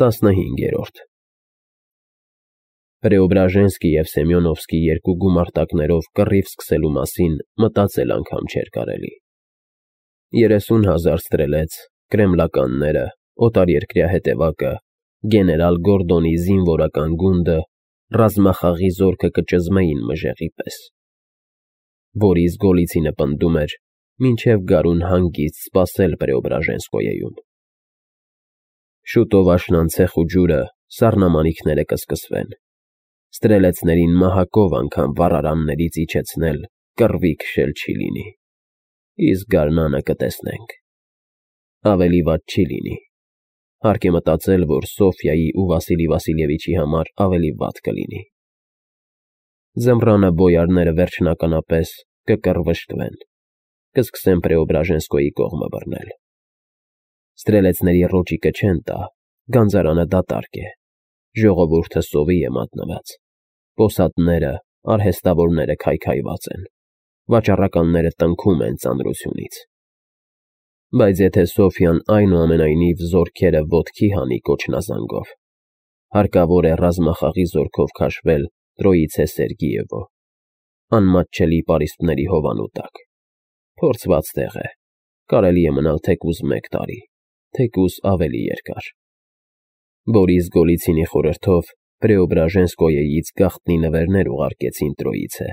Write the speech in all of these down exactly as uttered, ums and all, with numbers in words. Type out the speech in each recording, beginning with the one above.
տասնհինգերորդ Պրեոբրաժենսկի և Սեմյոնովսկի երկու գումարտակներով կռիվ սկսելու մասին մտածել անգամ չէր կարելի։ Երեսուն հազար ստրելեց, կրեմլականները, օտարերկրյա հետևակը, գեներալ Գորդոնի զինվորական գունդը, ռազմախաղի զորքը կճզմեին մժեղի պես։ Բորիս Գոլիցինը պնդում էր, մինչև գարուն հանգիստ սպասել Պրեոբրաժենսկոյեում։ Շուտով աշնան ցեխ ու ջուրը, սառնամանիքները կսկսվեն։ Ստրելեցներին մահակով անգամ վառարաններից իջեցնել կռվի քշել չի լինի։ Իսկ գարնանը կտեսնենք։ Ավելի վատ չի լինի։ Հարկ է մտածել, որ Սոֆյայի ու Վասիլի Վասիլևիչի համար ավելի վատ կլինի։ Ձմռանը բոյարները վերջնականապես կկռվշտվեն, կսկսեն Պրեոբրաժենսկոյի կողմը բռնել։ Ստրելեցների ռոճիկը չեն տա, գանձարանը դատարկ է, ժողովուրդը սովի է մատնված, պոսատները, արհեստավորները քայքայված են, վաճառականները տնքում են ծանրությունից։ Բայց եթե Սոֆյան այնուամենայնիվ զորքերը ոտքի հանի կոչնազանգով, հարկավոր է ռազմախաղի զորքով քաշվել Տրոիցե Սերգիևո, անմատչելի պարիսպների հովանու տակ։ Փորձված տեղ է, կարելի է մնալ թեկուզ մեկ տարի, թեկուզ ավելի երկար։ Բորիս Գոլիցինի խորհրդով Պրեոբրաժենսկոյեից գաղտնի նվերներ ուղարկեցին Տրոիցե,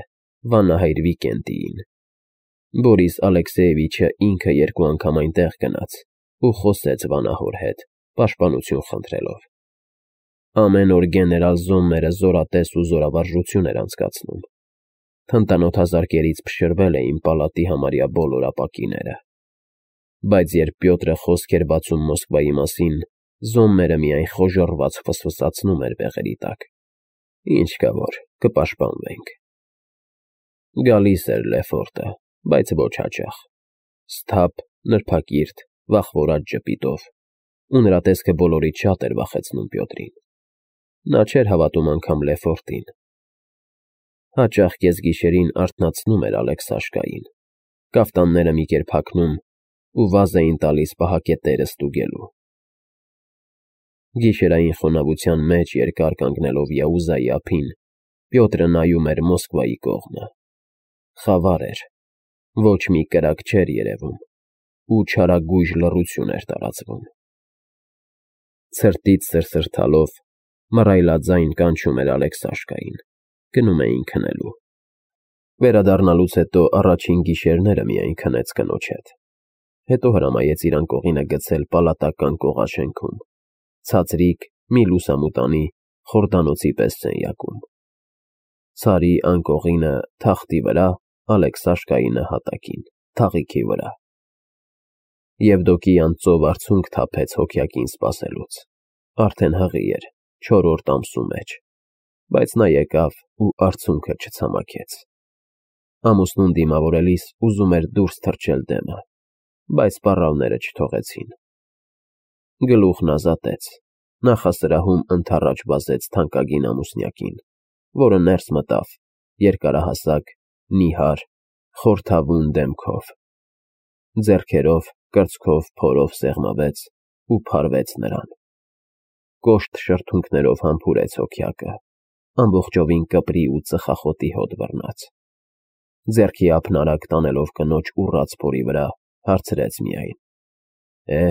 վանահայր Վիկենտիին։ Բորիս Ալեքսեևիչը ինքը երկու անգամ այնտեղ գնաց ու խոսեց վանահոր հետ, պաշտպանություն խնդրելով։ Ամեն օր գեներալ Զոմմերը զորատես ու զորավարժություն էր անցկացնում։ Թնդանոթազարկերից փշրվել էին պալատի համարյա բոլոր ապակիները։ Բայց երբ Պյոտրը խոսք էր բացում Մոսկվայի մասին, Զոմմերը միայն խոժոռված ֆսֆսացնում էր բեղերի տակ։ Ինչ կա որ, կպաշտպանվենք։ Գալիս էր Լեֆորտը, բայց ոչ հաճախ։ Սթափ, նրբակիրթ, վախվորած ժպիտով, ու նրա տեսքը բոլորից շատ էր վախեցնում Պյոտրին։ Նա չէր հավատում անգամ Լեֆորտին։ Հաճախ կեսգիշերին արթնացնում էր Ալեքսաշկային, կաֆտանները մի կերպ հագնում ու վազ էին տալիս պահակետերը ստուգելու։ Գիշերային խոնավության մեջ երկար կանգնելով Յաուզայի ափին, Պյոտրը նայում էր Մոսկվայի կողմը։ Խավար էր, ոչ մի կրակ չէր երևում, ու չարագույժ լռություն էր տարածվում։ Ցրտից սրսրթալով, մռայլաձայն կանչում էր Ալեքսաշկային, գնում էին քնելու։ Վերադառնալուց հետո առաջին գիշերները միայն քնեց կնոջ հետ, հետո հրամայեց իր անկողինը գցել պալատական կողաշենքում, ցածրիկ մի լուսամուտանի խորդանոցի պես սենյակում։ Ցարի անկողինը թախտի վրա, Ալեքսաշկայի նահատակին, թաղիքի վրա։ Եվդոկիան ծով արցունք թափեց հոգյակին սպասելուց։ Արդեն հղի էր, չորրորդ ամսու մեջ, բայց նա եկավ ու արցունքը չցամաքեց։ Ամուսնուն դիմավորելիս ուզում էր դուրս թռչել դեմը, բայց սպառավները չթողեցին։ Գլուխն ազատեց, նախասրահում ընդառաջ վազեց թանկագին ամուսնյակին, որը ներս մտավ, երկարահասակ, նիհար, խորթավուն դեմքով։ Ձեռքերով, կրծքով, փորով սեղմվեց ու փարվեց նրան։ Կոշտ շրթունքներով համբուրեց հոգյակը, ամբողջովին կպրի ու ծխախոտի հոտ բռնած։ Ձեռքի ափն արագ տանելով կնոջ ուռած փորի վրա, հարցրեց միայն. Է,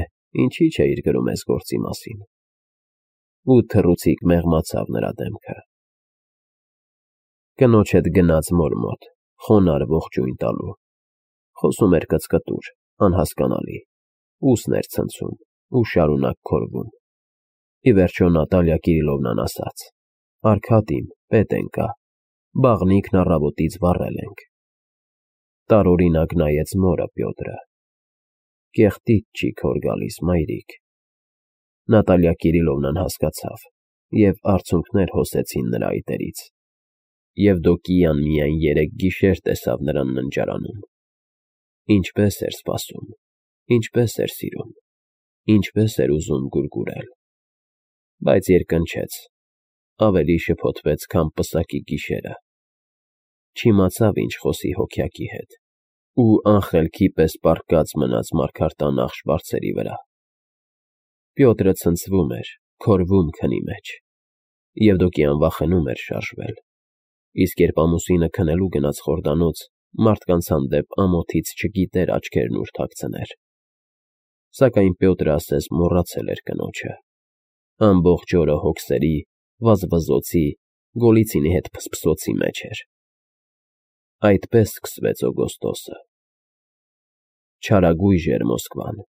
ինչի՞ չէիր գրում ես գործի մասին։ Ու թռուցիկ մեղմացավ նրա դեմքը։ Կնոջ հետ գնաց մոր մոտ, խոնարհ ողջույն տալու։ Խոսում էր կծկտուր, անհասկանալի, ուսն էր ցնցում ու շարունակ քորվում։ Ի վերջո Նատալիա Կիրիլովնան ասաց. Արկադի իմ, պետ ենկա, բաղնիքն առավոտից վառել ենք։ Տարօրինակ նայեց մորը Պյոտրը. Կեղտիդ չի քոր գալիս, մայրիկ։ Նատալիա Կիրիլովնան հասկացավ, և արցունքներ հոսեցին նրա այտերից։ Եվդոկիան միայն երեկ գիշեր տեսավ նրան ննջարանում։ Ինչպես էր սպասում, ինչպես էր սիրում, ինչպես էր ուզում գուրգուրել։ Բայց երկնչեց, ավելի շփոթվեց, քան պսակի գիշերը։ Չիմացավ ինչ խոսի հոգյակի հետ, ու անխելքի պես պառկած մնաց մարգարտանախ շվարցերի վրա։ Պյոտրը ցնցվում էր, Քորվում քնի մեջ, և Դոկի անվախենում էր շարժվել, իսկ երբ ամուսինը քնելու գնաց խորդանոց, մարդկանց հանդեպ ամոթից չգիտեր աչքերն ուր թաքցներ, սակայն Պյոտրը ասես մոռացել էր կնոջը, ամբողջ օրը հոգսերի, վազվզոցի, Գոլիցինի հետ փսփսոցի մեջ էր։ Այդպես սկսվեց օգոստոսը։ Չարագույժ էր Մոսկվան,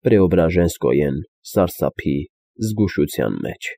Պրեոբրաժենսկոյեն սարսափի, զգուշության մեջ։